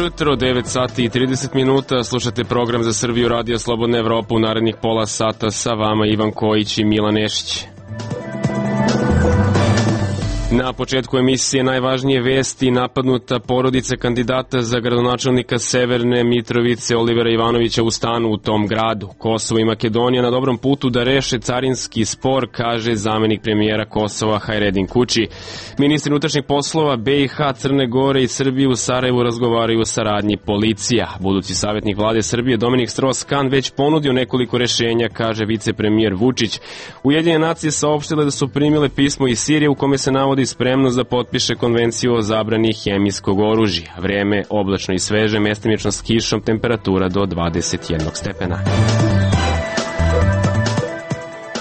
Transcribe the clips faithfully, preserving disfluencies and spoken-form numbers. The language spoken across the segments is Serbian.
jutro, devet sati i trideset minuta, slušate program za Srbiju Radio Slobodna Evropa. U narednih pola sata sa vama Ivan Kojić i Milan Nešić. Na početku emisije najvažnije vesti: napadnuta porodica kandidata za gradonačelnika Severne Mitrovice Olivera Ivanovića u stanu u tom gradu. Kosovo i Makedonija na dobrom putu da reše carinski spor, kaže zamenik premijera Kosova Hajredin Kuči. Ministri unutrašnjih poslova B i H, Crne Gore i Srbije u Sarajevu razgovaraju o saradnji policija. Budući savjetnik vlade Srbije Dominik Strauss-Kahn već ponudio nekoliko rešenja, kaže vicepremijer Vučić. Ujedinjene nacije saopštile da su primile pismo iz Sirije u kome se navodi spremnost da potpiše konvenciju o zabrani hemijskog oružja. Vreme oblačno i sveže, mestimično s kišom, temperatura do dvadeset jedan stepena.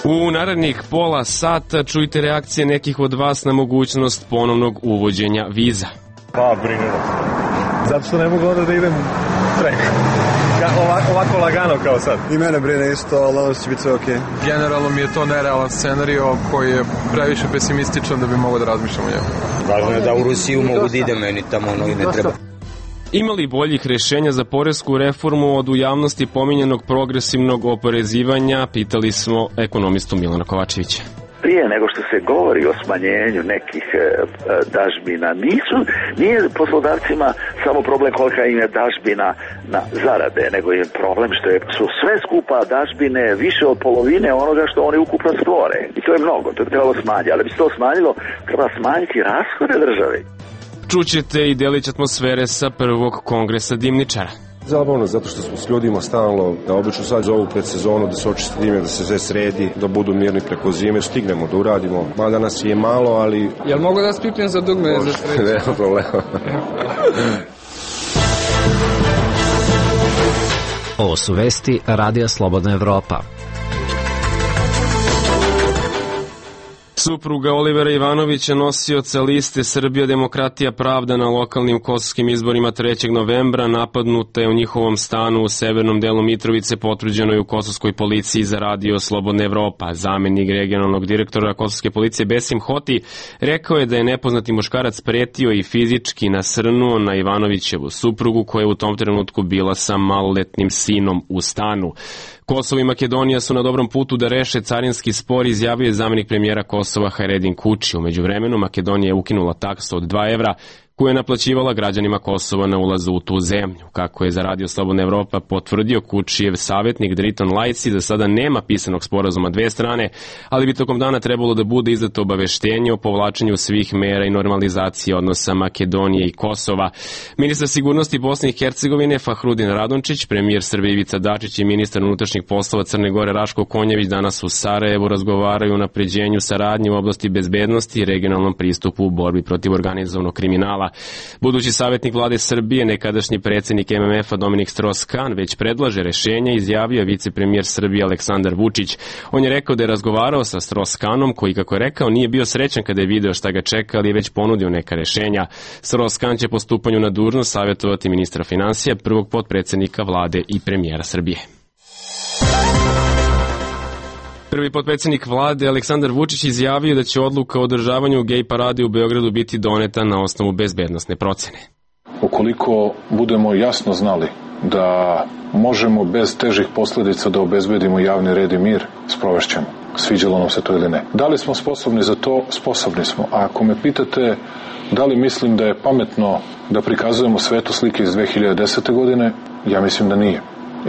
U narednih pola sata čujte reakcije nekih od vas na mogućnost ponovnog uvođenja viza. Pa, brine. Zato što ne mogu onda da idem preko. Ovako, ovako lagano kao sad. I mene brine isto, ali ovo će biti sve okej. Okay. Generalno mi je to nerealan scenario koji je previše pesimističan da bi mogao da razmišljam o njemu. Važno je da u Rusiju mogu da ide, meni tamo ono i ne treba. Ima li boljih rešenja za poresku reformu od u javnosti pominjenog progresivnog oporezivanja? Pitali smo ekonomistu Milana Kovačevića. Prije nego što se govori o smanjenju nekih e, dažbina, nisu, nije poslodavcima samo problem kolika im je dažbina na zarade, nego je problem što je, su sve skupa dažbine više od polovine onoga što oni ukupno stvore. I to je mnogo, to je trebalo smanjiti, ali bi se to smanjilo, treba smanjiti rashode države. Čućete i delić atmosfere sa prvog kongresa dimničara. Zabavno, zato što smo s ljudima stalno, da obično sad zovu pred sezonu, da se očisti dime, da se sve sredi, da budu mirni preko zime, stignemo da uradimo. Mada nas je malo, ali... Jel mogu da spipnem za dugme za sreću? Nema problema. Ovo su vesti Radija Slobodna Evropa. Supruga Olivera Ivanovića, nosioca liste Srbija demokratija pravda na lokalnim kosovskim izborima trećeg novembra, napadnuta je u njihovom stanu u severnom delu Mitrovice, potvrđeno je u kosovskoj policiji za Radio Slobodna Evropa. Zamenik regionalnog direktora kosovske policije Besim Hoti rekao je da je nepoznati muškarac pretio i fizički nasrnuo na Ivanovićevu suprugu, koja je u tom trenutku bila sa maloletnim sinom u stanu. Kosovo i Makedonija su na dobrom putu da reše carinski spor, izjavio je zamenik premijera Kosova Hajredin Kuči. U međuvremenu Makedonija je ukinula taksu od dva evra koju je naplaćivala građanima Kosova na ulazu u tu zemlju. Kako je za Radio Slobodna Evropa potvrdio Kučijev savjetnik Driton Lajci, za sada nema pisanog sporazuma dve strane, ali bi tokom dana trebalo da bude izdato obaveštenje o povlačenju svih mera i normalizacije odnosa Makedonije i Kosova. Ministar sigurnosti Bosne i Hercegovine Fahrudin Radončić, premijer Srbije Ivica Dačić i ministar unutrašnjih poslova Crne Gore Raško Konjević danas u Sarajevu razgovaraju o unapređenju saradnje u oblasti bezbednosti i regionalnom pristupu u borbi protiv organizovanog kriminala. Budući savjetnik vlade Srbije, nekadašnji predsjednik M M F-a Dominik Strauss-Kahn već predlaže rešenja, izjavio je vicepremijer Srbije Aleksandar Vučić. On je rekao da je razgovarao sa Strauss-Kahnom, koji, kako je rekao, nije bio srećan kada je video šta ga čeka, ali je već ponudio neka rešenja. Strauss-Kahn će po stupanju na dužnost savjetovati ministra finansija, prvog potpredsjednika vlade i premijera Srbije. Prvi potpredsjednik vlade Aleksandar Vučić izjavio da će odluka o održavanju gej parade u Beogradu biti doneta na osnovu bezbednosne procene. Ukoliko budemo jasno znali da možemo bez težih posljedica da obezbedimo javni red i mir, sprovešćemo. Sviđalo nam se to ili ne. Da li smo sposobni za to? Sposobni smo. A ako me pitate da li mislim da je pametno da prikazujemo svetu slike iz dve hiljade desete. godine, ja mislim da nije.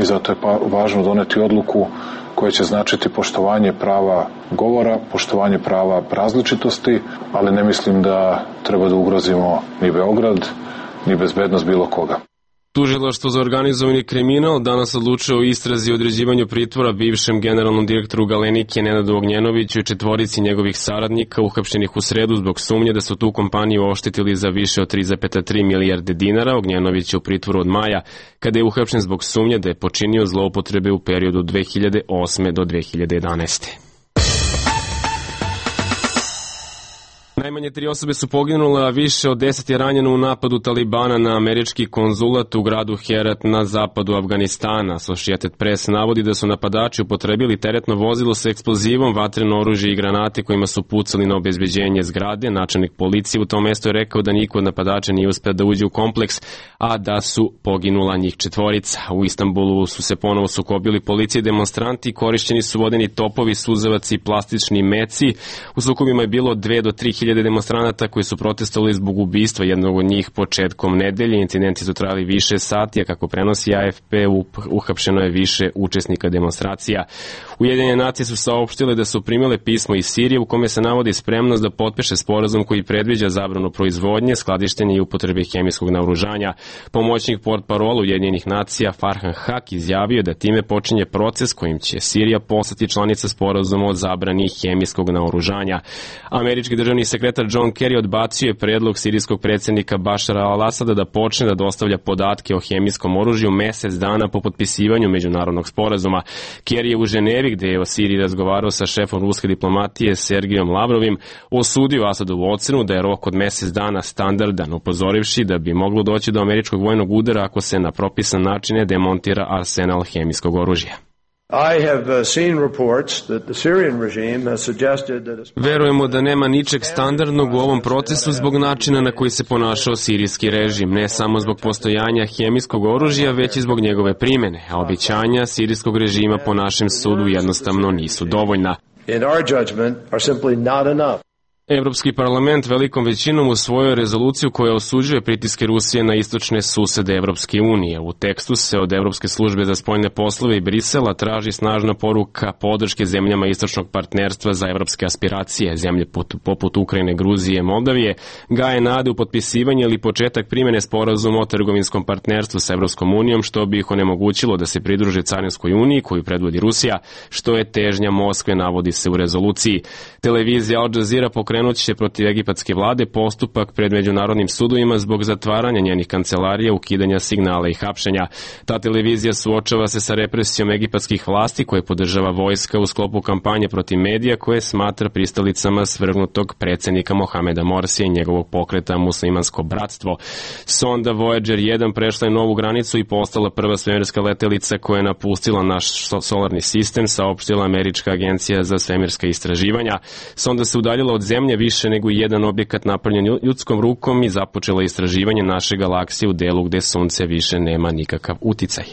I zato je pa važno doneti odluku koje će značiti poštovanje prava govora, poštovanje prava različitosti, ali ne mislim da treba da ugrozimo ni Beograd, ni bezbednost bilo koga. Tužilaštvo za organizovani kriminal danas odlučuje o istrazi i određivanju pritvora bivšem generalnom direktoru Galenike Nenadu Ognjenoviću i četvorici njegovih saradnika uhapšenih u sredu zbog sumnje da su tu kompaniju oštetili za više od tri zarez tri milijarde dinara. Ognjenović je u pritvoru od maja, kada je uhapšen zbog sumnje da je počinio zloupotrebe u periodu od dve hiljade osme do dve hiljade jedanaeste. Najmanje tri osobe su poginule, a više od deset je ranjeno u napadu Talibana na američki konzulat u gradu Herat na zapadu Afganistana. Associated Press navodi da su napadači upotrebili teretno vozilo sa eksplozivom, vatreno oružje i granate kojima su pucali na obezbeđenje zgrade. Načelnik policije u tom mestu je rekao da niko od napadača nije uspeo da uđe u kompleks, a da su poginula njih četvorica. U Istanbulu su se ponovo sukobili policije i demonstranti, korišćeni su vodeni topovi, suzavaci i plastični meci. U sukobima je bilo dve do tri hiljade demonstranata koji su protestovali zbog ubistva jednog od njih početkom nedelje. Incidenti su trajali više sati, a kako prenosi A F P, uhapšeno je više učesnika demonstracija. Ujedinjene nacije su saopštile da su primile pismo iz Sirije u kome se navodi spremnost da potpiše sporazum koji predviđa zabranu proizvodnje, skladištenja i upotrebe hemijskog naoružanja. Pomoćnik portparola Ujedinjenih nacija Farhan Haq izjavio da time počinje proces kojim će Sirija postati članica sporazuma o zabrani hemijskog naoružanja. Američki državni sekretar John Kerry odbacio je predlog sirijskog predsjednika Bašara al-Asada da počne da dostavlja podatke o hemijskom oružju mesec dana po potpisivanju međunarodnog sporazuma. Kerry je u Ženevi, gde je o Siriji razgovarao sa šefom ruske diplomatije Sergijom Lavrovim, osudio Asadovu ocenu da je rok od mesec dana standardan, upozorivši da bi moglo doći do američkog vojnog udara ako se na propisan način ne demontira arsenal hemijskog oružja. Verujemo da nema ničeg standardnog u ovom procesu zbog načina na koji se ponašao sirijski režim, ne samo zbog postojanja hemijskog oružja, već i zbog njegove primene, a obećanja sirijskog režima po našem sudu jednostavno nisu dovoljna. Evropski parlament velikom većinom usvojio rezoluciju koja osuđuje pritiske Rusije na istočne susede Evropske unije. U tekstu se od Evropske službe za spoljne poslove i Brisela traži snažna poruka podrške zemljama istočnog partnerstva za evropske aspiracije. Zemlje poput Ukrajine, Gruzije i Moldavije gaje nade u potpisivanje ili početak primene sporazuma o trgovinskom partnerstvu sa Evropskom unijom, što bi ih onemogućilo da se pridruže Carinskoj uniji koju predvodi Rusija, što je težnja Moskve, navodi se u rezoluciji. Televizija Al Jazeera pokrenula Pokrenut će protiv egipatske vlade postupak pred međunarodnim sudovima zbog zatvaranja njenih kancelarija, ukidanja signala i hapšenja. Ta televizija suočava se sa represijom egipatskih vlasti koje podržava vojska u sklopu kampanje protiv medija koje smatra pristalicama svrgnutog predsjednika Mohameda Morsija i njegovog pokreta Muslimansko bratstvo. Sonda Voyager jedan prešla je novu granicu i postala prva svemirska letelica koja je napustila naš solarni sistem, saopštila Američka agencija za svemirska istraživanja. Sonda se udaljila od zemlje više nego jedan objekat napravljen ljudskom rukom i započela istraživanje naše galaksije u delu gde sunce više nema nikakav uticaj.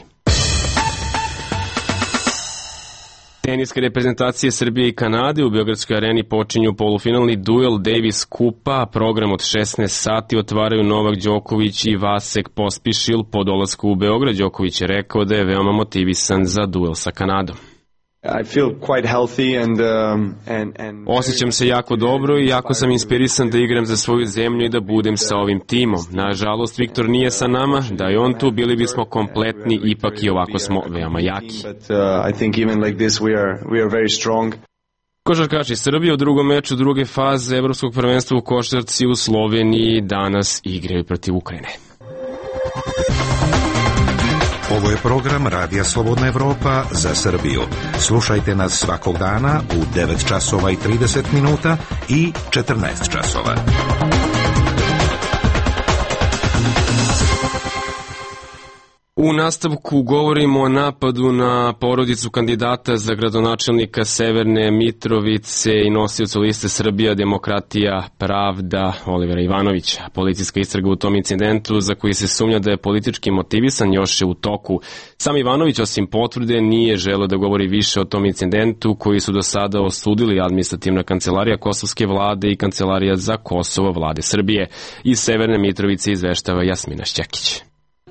Teniske reprezentacije Srbije i Kanade u Beogradskoj areni počinju polufinalni duel Davis Kupa. Program od šesnaest sati otvaraju Novak Đoković i Vasek Pospišil. Po dolasku u Beograd Đoković je rekao da je veoma motivisan za duel sa Kanadom. I feel quite healthy and, um, and, and... Osjećam se jako dobro i jako sam inspirisan da igram za svoju zemlju i da budem sa ovim timom. Nažalost, Viktor nije sa nama, da je on tu, bili bismo kompletni, ipak i ovako smo veoma jaki. Košarkaši Srbije u drugom meču druge faze evropskog prvenstva u košarci u Sloveniji danas igraju protiv Ukrajine. Ovo je program Radija Slobodna Evropa za Srbiju. Slušajte nas svakog dana u devet časova i trideset minuta i četrnaest časova. U nastavku govorimo o napadu na porodicu kandidata za gradonačelnika Severne Mitrovice i nosiocu liste Srbija, Demokratija, Pravda Olivera Ivanovića. Policijska istraga u tom incidentu, za koji se sumnja da je politički motivisan, još je u toku. Sam Ivanović, osim potvrde, nije želeo da govori više o tom incidentu koji su do sada osudili administrativna kancelarija Kosovske vlade i Kancelarija za Kosovo vlade Srbije. Iz Severne Mitrovice izveštava Jasmina Šćekić.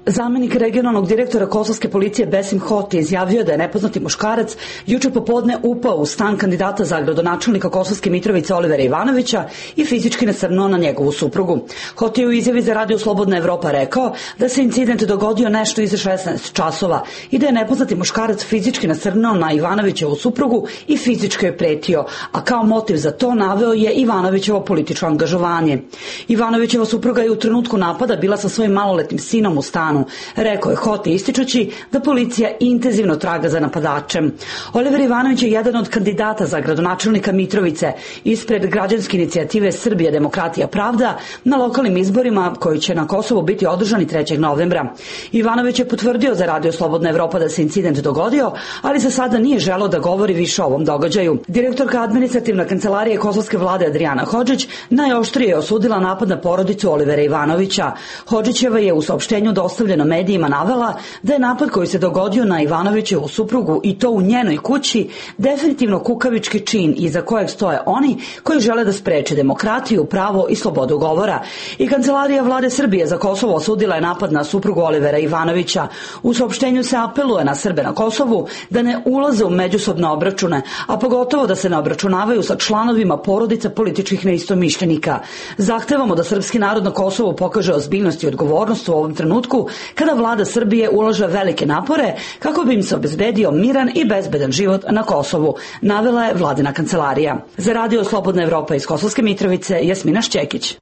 Zamenik regionalnog direktora kosovske policije Besim Hoti izjavio da je nepoznati muškarac juče popodne upao u stan kandidata za gradonačelnika Kosovske Mitrovice Olivera Ivanovića i fizički nasrnuo na njegovu suprugu. Hoti je u izjavi za Radio Slobodna Evropa rekao da se incident dogodio nešto iza šesnaest časova i da je nepoznati muškarac fizički nasrnuo na Ivanovićevu suprugu i fizički je pretio, a kao motiv za to naveo je Ivanovićevo političko angažovanje. Ivanovićeva supruga je u trenutku napada bila sa svojim maloletnim sinom u stanu. danu, rekao je Hoti ističući da policija intenzivno traga za napadačem. Oliver Ivanović je jedan od kandidata za gradonačelnika Mitrovice ispred građanske inicijative Srbija, demokratija, pravda na lokalnim izborima koji će na Kosovu biti održani trećeg novembra. Ivanović je potvrdio za Radio Slobodna Evropa da se incident dogodio, ali za sada nije želeo da govori više o ovom događaju. Direktorka administrativne kancelarije kosovske vlade Adriana Hodžić najoštrije je osudila napad na porodicu Olivera Ivanovića. Hodžićeva je u saopštenju dostavljeno medijima navela da je napad koji se dogodio na Ivanovićevu suprugu i to u njenoj kući definitivno kukavički čin iza kojeg stoje oni koji žele da spreče demokratiju, pravo i slobodu govora. I kancelarija vlade Srbije za Kosovo osudila je napad na suprugu Olivera Ivanovića. U saopštenju se apeluje na Srbe na Kosovu da ne ulaze u međusobne obračune, a pogotovo da se ne obračunavaju sa članovima porodica političkih neistomišljenika. Zahtevamo da srpski narod na Kosovu pokaže ozbiljnost i odgovornost u ovom trenutku kada vlada Srbije ulaže velike napore kako bi im se obezbedio miran i bezbedan život na Kosovu, navela je vladina kancelarija. Za Radio Slobodna Evropa iz Kosovske Mitrovice, Jasmina Šćekić.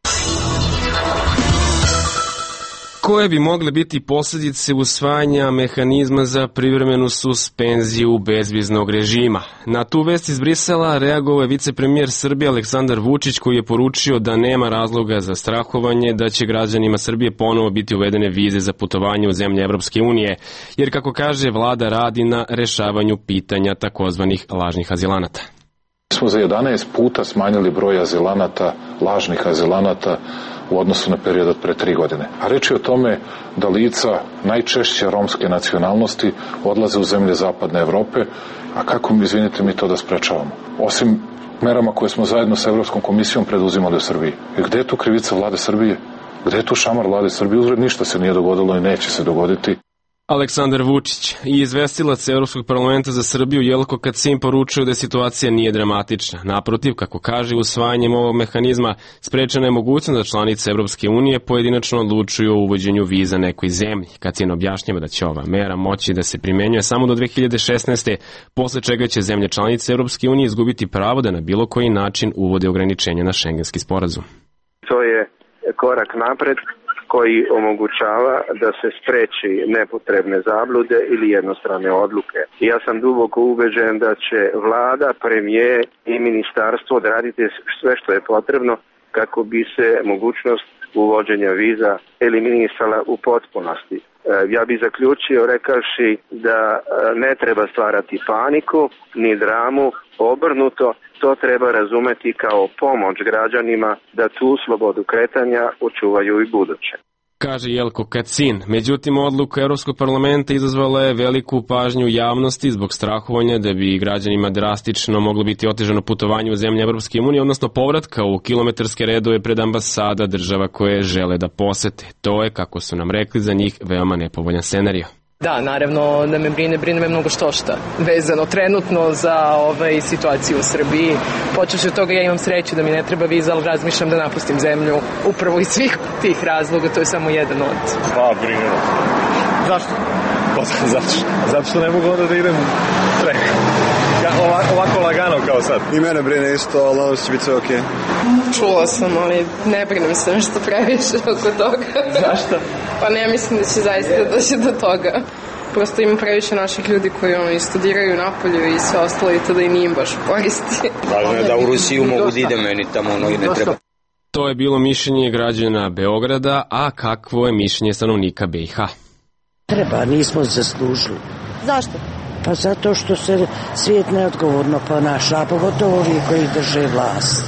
Koje bi mogle biti posljedice usvajanja mehanizma za privremenu suspenziju bezviznog režima? Na tu vest iz Brisela reagovao je vicepremijer Srbije Aleksandar Vučić, koji je poručio da nema razloga za strahovanje da će građanima Srbije ponovo biti uvedene vize za putovanje u zemlje Evropske unije, jer kako kaže vlada radi na rešavanju pitanja takozvanih lažnih azilanata. Mi smo za jedanaest puta smanjili broj azilanata, lažnih azilanata u odnosu na period od pre tri godine. A reč je o tome da lica najčešće romske nacionalnosti odlaze u zemlje zapadne Evrope, a kako mi, izvinite, mi to da sprečavamo? Osim merama koje smo zajedno sa Evropskom komisijom preduzimali u Srbiji. I gde je tu krivica vlade Srbije? Gde je tu šamar vlade Srbije? Uzred ništa se nije dogodilo i neće se dogoditi. Aleksandar Vučić i izvestilac Evropskog parlamenta za Srbiju Jelko Kacin poručuju da situacija nije dramatična. Naprotiv, kako kaže, usvajanjem ovog mehanizma sprečena je mogućnost da članice Evropske unije pojedinačno odlučuju o uvođenju viza nekoj zemlji. Kacin objašnjava da će ova mera moći da se primenjuje samo do dve hiljade šesnaeste. posle čega će zemlje članice Evropske unije izgubiti pravo da na bilo koji način uvode ograničenja na šengenski sporazum. To je korak napred koji omogućava da se spreči nepotrebne zablude ili jednostrane odluke. Ja sam duboko ubeđen da će vlada, premijer i ministarstvo odraditi sve što je potrebno kako bi se mogućnost uvođenja viza eliminisala u potpunosti. Ja bih zaključio rekavši da ne treba stvarati paniku ni dramu, obrnuto, to treba razumeti kao pomoć građanima da tu slobodu kretanja očuvaju i buduće. Kaže Jelko Kacin. Međutim, odluka Evropskog parlamenta izazvala je veliku pažnju javnosti zbog strahovanja da bi građanima drastično moglo biti otežano putovanje u zemlje Evropske unije, odnosno povratka u kilometarske redove pred ambasada država koje žele da posete. To je, kako su nam rekli, za njih veoma nepovoljan scenario. Da, naravno da me brine, brine me mnogo što šta vezano trenutno za ovaj, situaciju u Srbiji. Počeš od toga, ja imam sreću da mi ne treba viza, ali razmišljam da napustim zemlju upravo iz svih tih razloga, to je samo jedan od. Pa, brine. Zašto? Pa, zato, zato što ne mogu onda da idem preko. Ja, ovako, ovako lagano kao sad. I mene brine isto, ali nadam se će biti sve okej. Čula sam, ali ne brinem se nešto previše oko toga. Zašto? Pa ne mislim da će zaista doći do toga. Prosto ima previše naših ljudi koji ono, i studiraju napolju i sve ostalo i to da i nije baš koristi. Važno je da u Rusiju mogu da ide, meni tamo ono i ne treba. To je bilo mišljenje građana Beograda, a kakvo je mišljenje stanovnika B i H? Treba, nismo zaslužili. Zašto? Pa zato što se svijet neodgovorno ponaša, a pogotovo ovi koji drže vlast.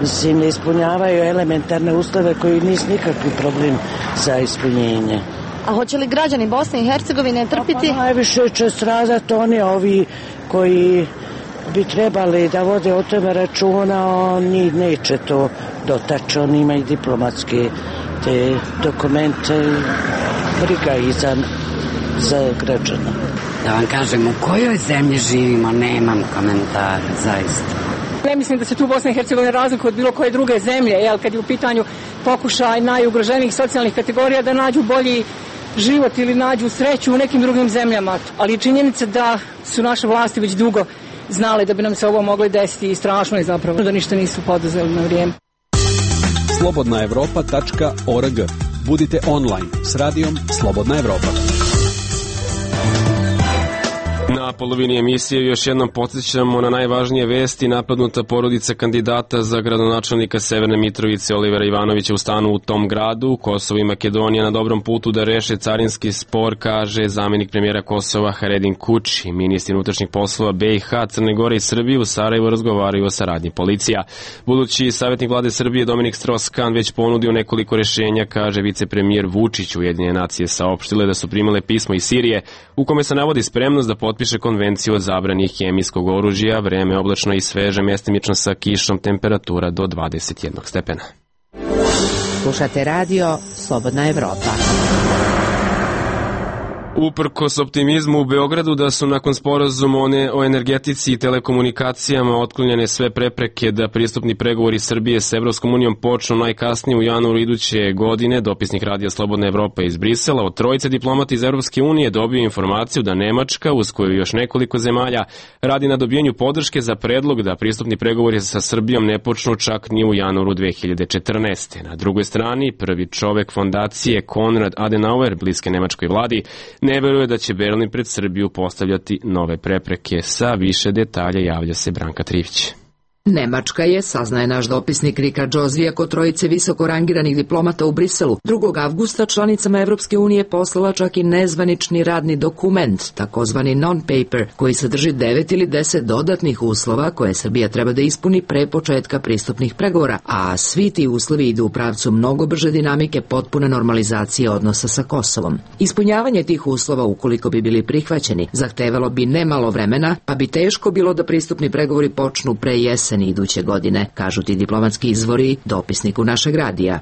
Mislim, ne ispunjavaju elementarne uslove koji nisu nikakvi problem za ispunjenje. A hoće li građani Bosne i Hercegovine trpiti? Pa najviše će stradati oni ovi koji bi trebali da vode o tome računa, oni neće to dotaći, oni imaju diplomatske te dokumente, briga i za, za građana. Da vam kažem, u kojoj zemlji živimo, nemam komentara, zaista. Ne mislim da se tu Bosna i Hercegovina razlikuje od bilo koje druge zemlje, jel, kad je u pitanju pokušaj najugroženijih socijalnih kategorija da nađu bolji život ili nađu sreću u nekim drugim zemljama. Ali činjenica da su naše vlasti već dugo znale da bi nam se ovo moglo desiti i strašno je zapravo da ništa nisu poduzeli na vrijeme. slobodna evropa tačka org. Budite online s radijom Slobodna Evropa. Na polovini emisije još jednom podsjećamo na najvažnije vesti. Napadnuta porodica kandidata za gradonačelnika Severne Mitrovice Olivera Ivanovića u stanu u tom gradu. Kosovo i Makedonija na dobrom putu da reše carinski spor, kaže zamenik premijera Kosova Haredin Kuči. Ministri unutrašnjih poslova B i H, Crne Gore i Srbije u Sarajevu razgovaraju o saradnji policija. Budući savjetnik vlade Srbije Dominik Strauss-Kahn već ponudio nekoliko rešenja, kaže vicepremijer Vučić. Ujedinjene nacije saopštile da su primile pismo iz Sirije u kome se navodi spremnost da potpiše konvenciju o zabrani hemijskog oružja. Vreme oblačno i sveže, mestimično sa kišom, temperatura do dvadeset jedan stepena. Slušate radio Slobodna Evropa. Uprkos optimizmu u Beogradu da su nakon sporazuma o energetici i telekomunikacijama otklonjene sve prepreke da pristupni pregovori Srbije s Evropskom unijom počnu najkasnije u januaru iduće godine, dopisnik radija Slobodna Evropa iz Brisela od trojice diplomata iz Evropske unije dobio informaciju da Nemačka, uz koju još nekoliko zemalja, radi na dobijanju podrške za predlog da pristupni pregovori sa Srbijom ne počnu čak ni u januaru dve hiljade četrnaeste. Na drugoj strani, prvi čovek fondacije Konrad Adenauer, bliske nemačkoj vladi, ne veruje da će Berlin pred Srbiju postavljati nove prepreke. Sa više detalja javlja se Branka Trivić. Nemačka je, saznaje naš dopisnik Rika Džozvija, kod trojice visoko rangiranih diplomata u Briselu, drugog avgusta članicama Evropske unije poslala čak i nezvanični radni dokument, takozvani non-paper, koji sadrži devet ili deset dodatnih uslova koje Srbija treba da ispuni pre početka pristupnih pregovora, a svi ti uslovi idu u pravcu mnogo brže dinamike potpune normalizacije odnosa sa Kosovom. Ispunjavanje tih uslova, ukoliko bi bili prihvaćeni, zahtevalo bi nemalo vremena, pa bi teško bilo da pristupni pregovori počnu pre jesen iduće godine, kažu ti diplomatski izvori dopisniku našeg radija.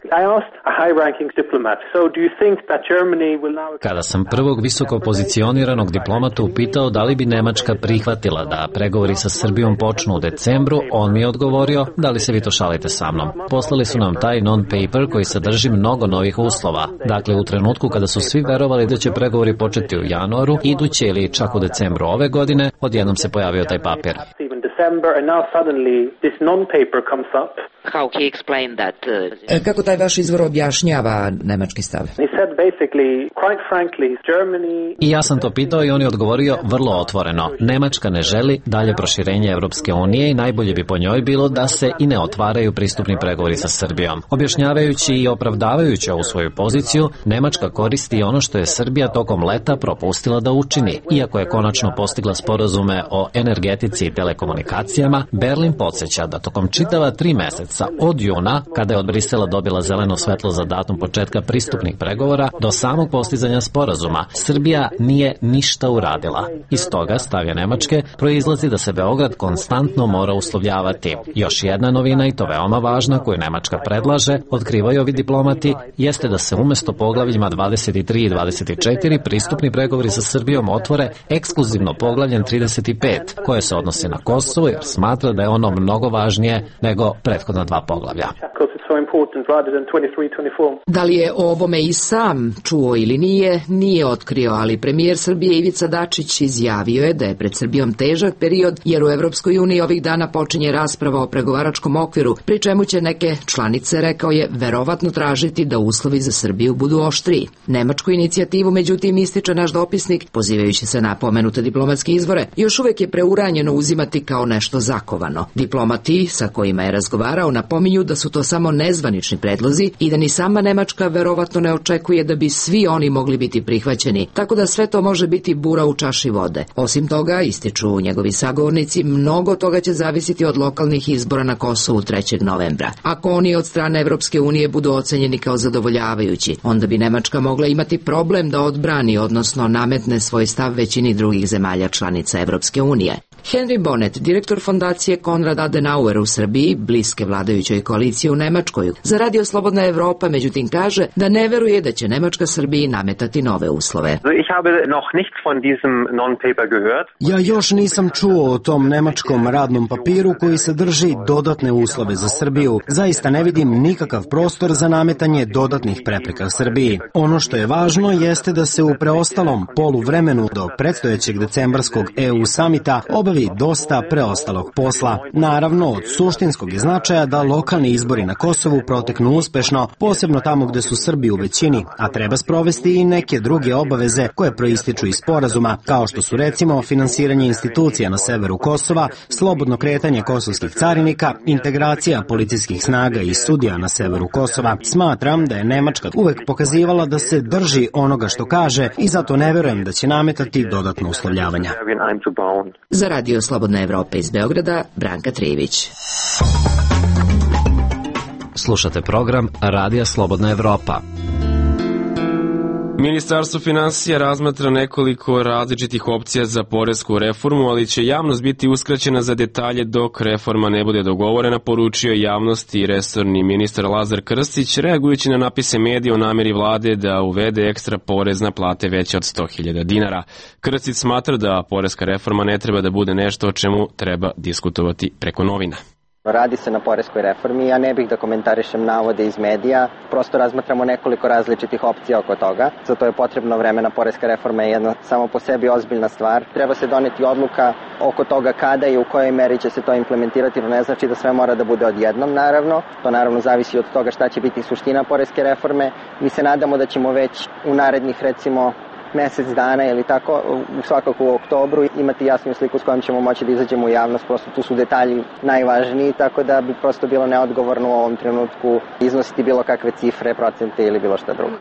Kada sam prvog visoko pozicioniranog diplomata upitao da li bi Nemačka prihvatila da pregovori sa Srbijom počnu u decembru, on mi je odgovorio da li se vi to šalite sa mnom. Poslali su nam taj non-paper koji sadrži mnogo novih uslova. Dakle, u trenutku kada su svi verovali da će pregovori početi u januaru, iduće ili čak u decembru ove godine, odjednom se pojavio taj papir. And now suddenly this non-paper comes up. How he explained that? Uh... Kako taj vaš izvor objašnjava nemački stav? He said basically, quite frankly, Germany... I ja sam to pitao i on je odgovorio vrlo otvoreno. Nemačka ne želi dalje proširenje Evropske unije i najbolje bi po njoj bilo da se i ne otvaraju pristupni pregovori sa Srbijom. Objašnjavajući i opravdavajući ovu svoju poziciju, Nemačka koristi ono što je Srbija tokom leta propustila da učini. Iako je konačno postigla sporazume o energetici i telekomunikacijama, Berlin podsjeća da tokom čitava tri meseca od juna, kada je od Brisela dobila zeleno svetlo za datum početka pristupnih pregovora, do samog postizanja sporazuma, Srbija nije ništa uradila. Iz toga, stavlja Nemačke, proizlazi da se Beograd konstantno mora uslovljavati. Još jedna novina, i to veoma važna, koju Nemačka predlaže, otkrivaju ovi diplomati, jeste da se umesto poglavljima dvadeset tri i dvadeset četiri pristupni pregovori sa Srbijom otvore ekskluzivno poglavljem trideset pet, koje se odnose na Kosovo, jer smatra da je ono mnogo važnije nego prethodna dva poglavlja. Da li je o ovome i sam čuo ili nije, nije otkrio, ali premijer Srbije Ivica Dačić izjavio je da je pred Srbijom težak period, jer u Evropskoj uniji ovih dana počinje rasprava o pregovaračkom okviru, pri čemu će neke članice, rekao je, verovatno tražiti da uslovi za Srbiju budu oštriji. Nemačku inicijativu, međutim, ističe naš dopisnik, pozivajući se na pomenute diplomatske izvore, još uvek je preuranjeno uzimati kao nešto zakovano. Diplomati sa kojima je razgovarao napominju da su to samo nezvanični predlozi i da ni sama Nemačka verovatno ne očekuje da bi svi oni mogli biti prihvaćeni, tako da sve to može biti bura u čaši vode. Osim toga, ističu njegovi sagovornici, mnogo toga će zavisiti od lokalnih izbora na Kosovu trećeg novembra. Ako oni od strane Evropske unije budu ocenjeni kao zadovoljavajući, onda bi Nemačka mogla imati problem da odbrani, odnosno nametne svoj stav većini drugih zemalja članica Evropske unije. Henry Bonnet, direktor fondacije Konrad Adenauer u Srbiji, bliske vladajućoj koaliciji u Nemačkoj, za Radio Slobodna Evropa, međutim kaže da ne veruje da će Nemačka Srbiji nametati nove uslove. Ja još nisam čuo o tom nemačkom radnom papiru koji sadrži dodatne uslove za Srbiju. Zaista ne vidim nikakav prostor za nametanje dodatnih prepreka Srbiji. Ono što je važno jeste da se u preostalom poluvremenu do predstojećeg decembarskog E U samita obe obavi dosta preostalog posla. Naravno, od suštinskog je značaja da lokalni izbori na Kosovu proteknu uspešno, posebno tamo gde su Srbi u većini, a treba sprovesti i neke druge obaveze koje proističu iz sporazuma, kao što su recimo finansiranje institucija na severu Kosova, slobodno kretanje kosovskih carinika, integracija policijskih snaga i sudija na severu Kosova. Smatram da je Nemačka uvek pokazivala da se drži onoga što kaže i zato ne verujem da će nametati dodatno uslovljavanja. Za Radio Slobodna Evropa iz Beograda, Branka Trijević. Slušate program Radija Slobodna Evropa. Ministarstvo finansija razmatra nekoliko različitih opcija za poresku reformu, ali će javnost biti uskraćena za detalje dok reforma ne bude dogovorena, poručio javnosti i resorni ministar Lazar Krstić, reagujući na napise medija o nameri vlade da uvede ekstra porez na plate veće od sto hiljada dinara. Krstić smatra da poreska reforma ne treba da bude nešto o čemu treba diskutovati preko novina. Radi se na poreskoj reformi, ja ne bih da komentarišem navode iz medija, prosto razmatramo nekoliko različitih opcija oko toga. Za to je potrebno vremena, poreska reforma je jedna samo po sebi ozbiljna stvar. Treba se doneti odluka oko toga kada i u kojoj meri će se to implementirati, no ne znači da sve mora da bude odjednom, naravno. To naravno zavisi od toga šta će biti suština poreske reforme. Mi se nadamo da ćemo već u narednih, recimo, mesec dana ili tako, svakako u oktobru, imati jasnu sliku s kojom ćemo moći da izađemo u javnost, prosto tu su detalji najvažniji, tako da bi prosto bilo neodgovorno u ovom trenutku iznositi bilo kakve cifre, procente ili bilo šta drugo.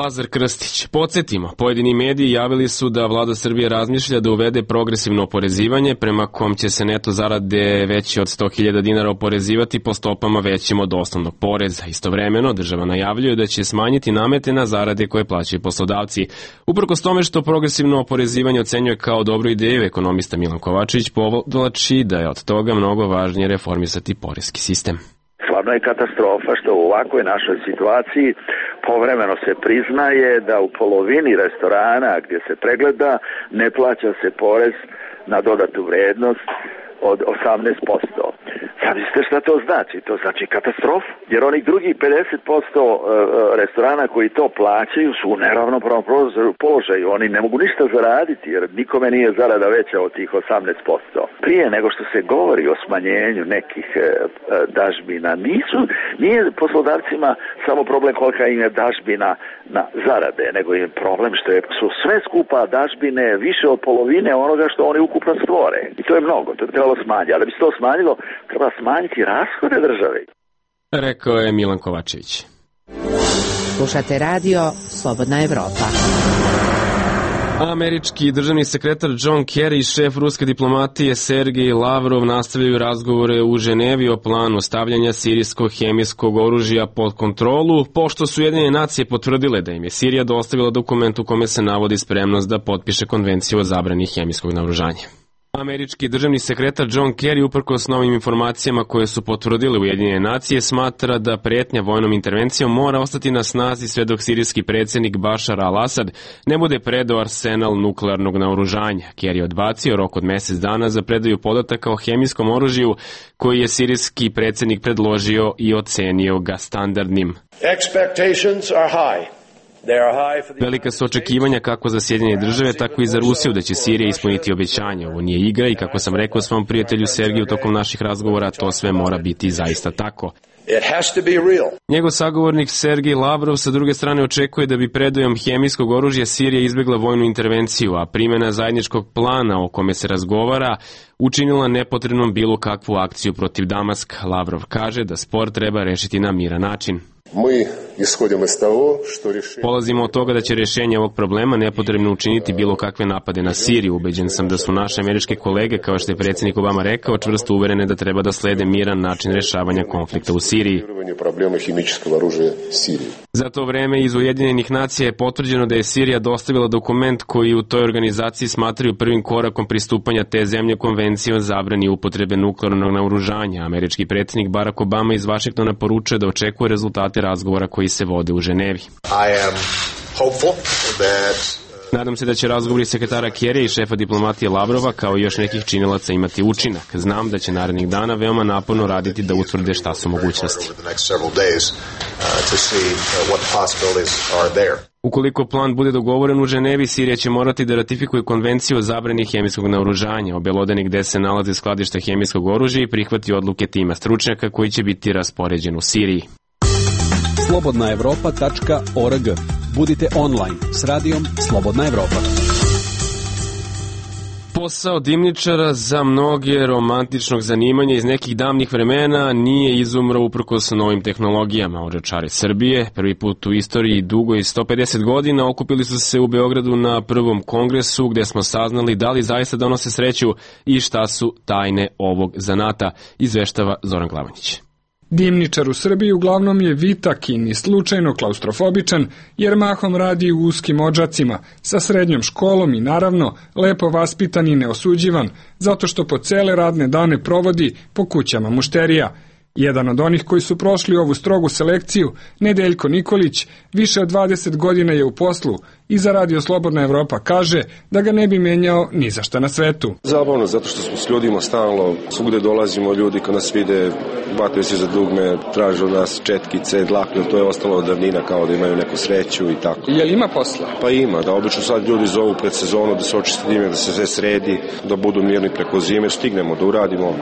Lazar Krstić. Podsjetimo, pojedini mediji javili su da vlada Srbije razmišlja da uvede progresivno oporezivanje prema kom će se neto zarade veće od sto hiljada dinara oporezivati po stopama većim od osnovnog poreza. Istovremeno, država najavljuje da će smanjiti namete na zarade koje plaćaju poslodavci. Uprkos tome što progresivno oporezivanje ocenjuje kao dobru ideju, ekonomista Milan Kovačević povlači da je od toga mnogo važnije reformisati poreski sistem. Stvarno je katastrofa što u ovakvoj našoj situaciji povremeno se priznaje da u polovini restorana gdje se pregleda ne plaća se porez na dodatu vrednost od osamnaest posto. Zamislite šta to znači? To znači katastrofu, jer onih drugih pedeset posto restorana koji to plaćaju su u neravnopravnom položaju. Oni ne mogu ništa zaraditi jer nikome nije zarada veća od tih osamnaest posto. Prije nego što se govori o smanjenju nekih dažbina, nisu, nije poslodavcima samo problem kolika im je dažbina na zarade, nego je problem što je, su sve skupa dažbine više od polovine onoga što oni ukupno stvore. I to je mnogo, to je trebalo smanjiti. Ali da bi se to smanjilo, treba smanjiti rashode države. Rekao je Milan Kovačević. Slušate radio Slobodna Evropa. Američki državni sekretar John Kerry i šef ruske diplomatije Sergej Lavrov nastavljaju razgovore u Ženevi o planu stavljanja sirijskog hemijskog oružja pod kontrolu, pošto su Ujedinjene nacije potvrdile da im je Sirija dostavila dokument u kome se navodi spremnost da potpiše konvenciju o zabrani hemijskog naoružanja. Američki državni sekretar John Kerry, uprkos novim informacijama koje su potvrdile Ujedinjene nacije, smatra da pretnja vojnom intervencijom mora ostati na snazi sve dok sirijski predsjednik Bašar al-Asad ne bude predao arsenal nuklearnog naoružanja. Kerry odbacio rok od mjesec dana za predaju podataka o hemijskom oružju koji je sirijski predsjednik predložio i ocenio ga standardnim. Expectations are high. Velika su očekivanja kako za Sjedinjene države, tako i za Rusiju da će Sirija ispuniti obećanje. Ovo nije igra i kako sam rekao svom prijatelju Sergiju tokom naših razgovora, to sve mora biti zaista tako. Njegov sagovornik Sergej Lavrov sa druge strane očekuje da bi predajom hemijskog oružja Sirija izbjegla vojnu intervenciju, a primjena zajedničkog plana o kome se razgovara učinila nepotrebnom bilo kakvu akciju protiv Damaska. Lavrov kaže da spor treba rešiti na miran način. Polazimo od toga da će rješenje ovog problema nepotrebno učiniti bilo kakve napade na Siriju. Ubeđen sam da su naše američke kolege, kao što je predsjednik Obama rekao, čvrsto uverene da treba da slede miran način rješavanja konflikta u Siriji. Za to vreme iz Ujedinjenih nacija je potvrđeno da je Sirija dostavila dokument koji u toj organizaciji smatraju prvim korakom pristupanja te zemlje konvencije o zabrani upotrebe nuklearnog naoružanja. Američki predsjednik Barack Obama iz Vašingtona poručuje da očekuje rezultate razgovora koji se vode u Ženevi. Nadam se da će razgovori sekretara Kerrya i šefa diplomatije Lavrova kao i još nekih činilaca imati učinak. Znam da će narednih dana veoma naporno raditi da utvrde šta su mogućnosti. Ukoliko plan bude dogovoren u Ženevi, Sirija će morati da ratifikuje konvenciju o zabrani hemijskog naoružanja, obelodani gde se nalaze skladišta hemijskog oružja i prihvati odluke tima stručnjaka koji će biti raspoređen u Siriji. slobodna evropa tačka org. Budite online s radijom Slobodna Evropa. Posao dimničara za mnoge romantičnog zanimanja iz nekih davnih vremena nije izumro uprkos novim tehnologijama. Odžačari Srbije prvi put u istoriji dugo i sto pedeset godina okupili su se u Beogradu na prvom kongresu gde smo saznali da li zaista donose sreću i šta su tajne ovog zanata, izveštava Zoran Glavonjić. Dimničar u Srbiji uglavnom je vitakin i slučajno klaustrofobičan jer mahom radi u uskim odžacima, sa srednjom školom i naravno lepo vaspitan i neosuđivan, zato što po cele radne dane provodi po kućama mušterija. Jedan od onih koji su prošli ovu strogu selekciju, Nedeljko Nikolić, više od dvadeset godina je u poslu i za Radio Slobodna Evropa kaže da ga ne bi menjao ni za šta na svetu. Zabavno, zato što smo s ljudima stalno, svugde dolazimo, ljudi kad nas vide, bataju se za dugme, traže od nas četkice, dlakne, to je ostalo od davnina kao da imaju neku sreću i tako. Je li ima posla? Pa ima, da obično sad ljudi zovu pred sezonu da se očisti dimnjak, da se sve sredi, da budu mirni preko zime, stignemo da uradimo,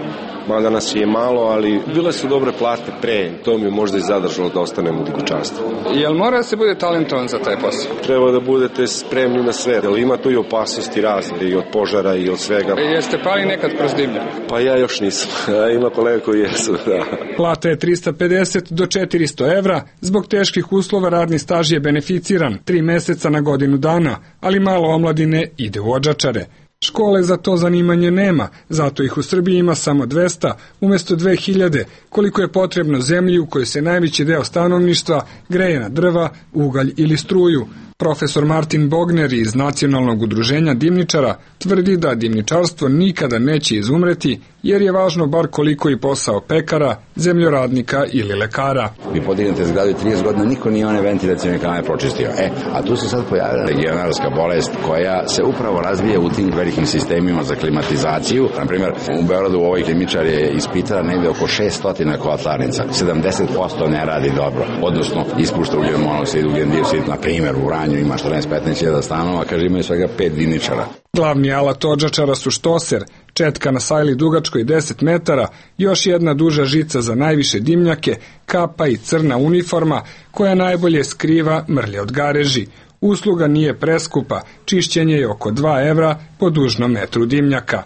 mada nas je malo, ali bile su dobre plate pre, to mi je možda i zadržalo da ostanemo u dikućanstvu. Jel mora da se bude talentovan za taj posao? Treba da budete spremni na sve, jer ima tu i opasnosti razne, i od požara i od svega. E, jeste pali nekad kroz dimnjak? Pa ja još nisam, ima kolega koji jesu, da. Plata je trista pedeset do četiristo evra, zbog teških uslova radni staž je beneficiran, tri meseca na godinu dana, ali malo omladine ide u odžačare. Škole za to zanimanje nema, zato ih u Srbiji ima samo dvesta, umjesto dve hiljade, koliko je potrebno zemlji u kojoj se najveći deo stanovništva greje na drva, ugalj ili struju. Profesor Martin Bogner iz Nacionalnog udruženja dimničara tvrdi da dimničarstvo nikada neće izumreti, jer je važno bar koliko i posao pekara, zemljoradnika ili lekara. Vi podignete zgradu trideset godina, niko nije one ventilacione kamere pročistio. E, a tu se sad pojavila legionarska bolest koja se upravo razvija u tim velikim sistemima za klimatizaciju. Na primjer, u Beogradu ovaj klimičar je ispitala negde oko šesto kotlarnica. sedamdeset posto ne radi dobro, odnosno ispušta ugljen monoksid, ugljen dioksid, na primjer u Vranju ima četrnaest do petnaest hiljada stanova, kaže imaju svega pet dimničara. Glavni alat odžačara su štoser, četka na sajli dugačkoj deset metara, još jedna duža žica za najviše dimnjake, kapa i crna uniforma koja najbolje skriva mrlje od gareži. Usluga nije preskupa, čišćenje je oko dva evra po dužnom metru dimnjaka.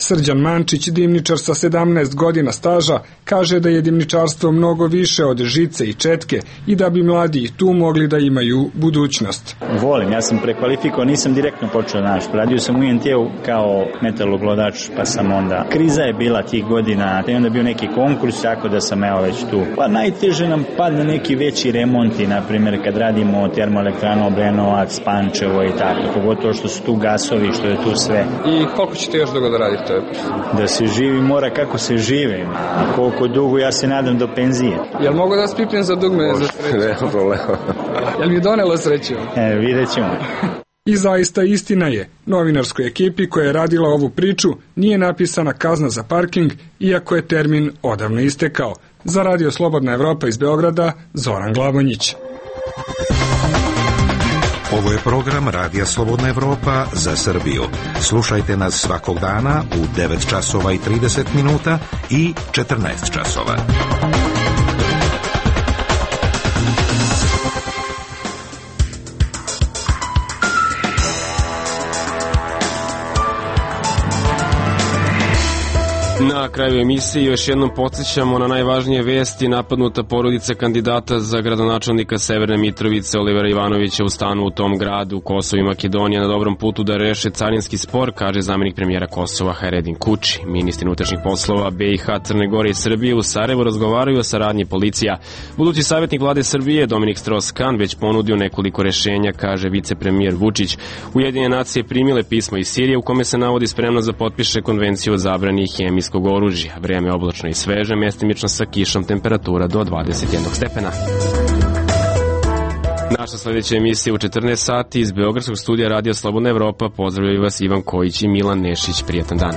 Srđan Mančić, dimničar sa sedamnaest godina staža, kaže da je dimničarstvo mnogo više od žice i četke i da bi mladi i tu mogli da imaju budućnost. Volim, ja sam prekvalifikao, nisam direktno počeo naš. Radio sam u I N T-u kao metaloglodač, pa sam onda... Kriza je bila tih godina, i onda bio neki konkurs, tako da sam evo već tu. Pa najteže nam padne neki veći remonti, na primjer kad radimo termoelektranu Obrenovac, Pančevo i tako, pogotovo što su tu gasovi, što je tu sve. I koliko ćete još dugo da radite? Da se živi mora kako se žive. A koliko dugo, ja se nadam do penzije. Jel mogu da spipnem za dugme Može, za sreću? Nema problema. Jel mi donelo sreću? E, vidjet ćemo. I zaista istina je, novinarskoj ekipi koja je radila ovu priču nije napisana kazna za parking, iako je termin odavno istekao. Za Radio Slobodna Evropa iz Beograda, Zoran Glavonjić. Ovo je program Radija Slobodna Evropa za Srbiju. Slušajte nas svakog dana u devet časova i trideset minuta i četrnaest časova. Na kraju emisije još jednom podsjećamo na najvažnije vesti. Napadnuta porodica kandidata za gradonačelnika Severne Mitrovice Olivera Ivanovića u stanu u tom gradu. Kosovo i Makedonija na dobrom putu da reše carinski spor, kaže zamenik premijera Kosova Hajredin Kuči. Ministri unutrašnjih poslova B i H, Crne Gore i Srbije u Sarajevu razgovaraju o saradnji policija. Budući savjetnik vlade Srbije Dominik Strauss-Kahn već ponudio nekoliko rešenja, kaže vicepremijer Vučić. Ujedinjene nacije primile pismo iz Sirije u kome se navodi spremnost da potpiše konvenciju o zabrani hemijskog oružja. Vreme je oblačno i sveže, mestimično sa kišom, temperatura do dvadeset jednog stepena. Naša sledeća emisija u četrnaest sati iz Beogradskog studija Radio Slobodna Evropa. Pozdravljaju vas Ivan Kojić i Milan Nešić. Prijetan dan.